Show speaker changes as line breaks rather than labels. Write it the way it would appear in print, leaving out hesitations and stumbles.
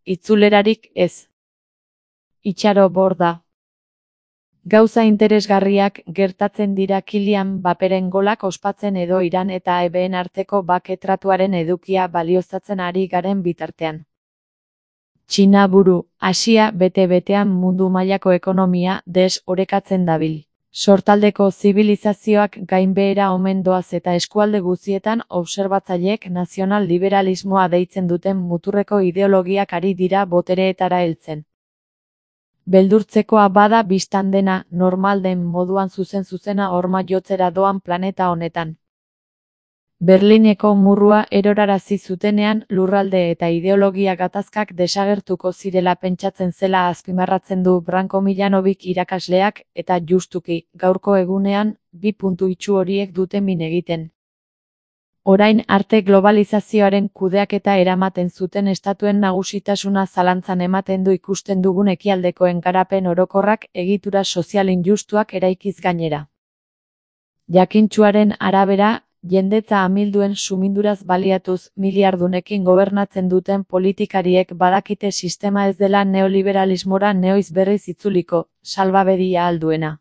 itzulerarik ez. Itxaro borda. Gauza interesgarriak gertatzen dira Kylian Mbapperen golak ospatzen edo Iran eta EBen arteko bake-tratuaren edukia balioztatzen ari garen bitartean. Txina buru, Asia bete-betean mundu mailako ekonomia desorekatzen dabil. Sortaldeko zibilizazioak gainbehera omen doaz eta eskualde guztietan obserbatzaileek nazional-liberalismoa deitzen duten muturreko ideologiak ari dira botereetara heltzen. Beldurtzekoa bada bistan dena, normal den moduan zuzen-zuzena horma jotzera doan planeta honetan. Berlineko murrua erorarazi zutenean lurralde eta ideologia gatazkak desagertuko zirela pentsatzen zela azpimarratzen du Branko Milanovic irakasleak, eta justuki, gaurko egunean, 2 puntu itsu horiek dute min egiten. Orain arte globalizazioaren kudeaketa eramaten zuten estatuen nagusitasuna zalantzan ematen du ikusten dugun ekialdekoen garapen orokorrak egitura sozial injustuak eraikiz gainera. Jakintsuaren arabera, jendetza amilduen suminduraz baliatuz miliardunekin gobernatzen duten politikariek badakite sistema ez dela neoliberalismora neoiz berriz itzuliko, salbabedia alduena.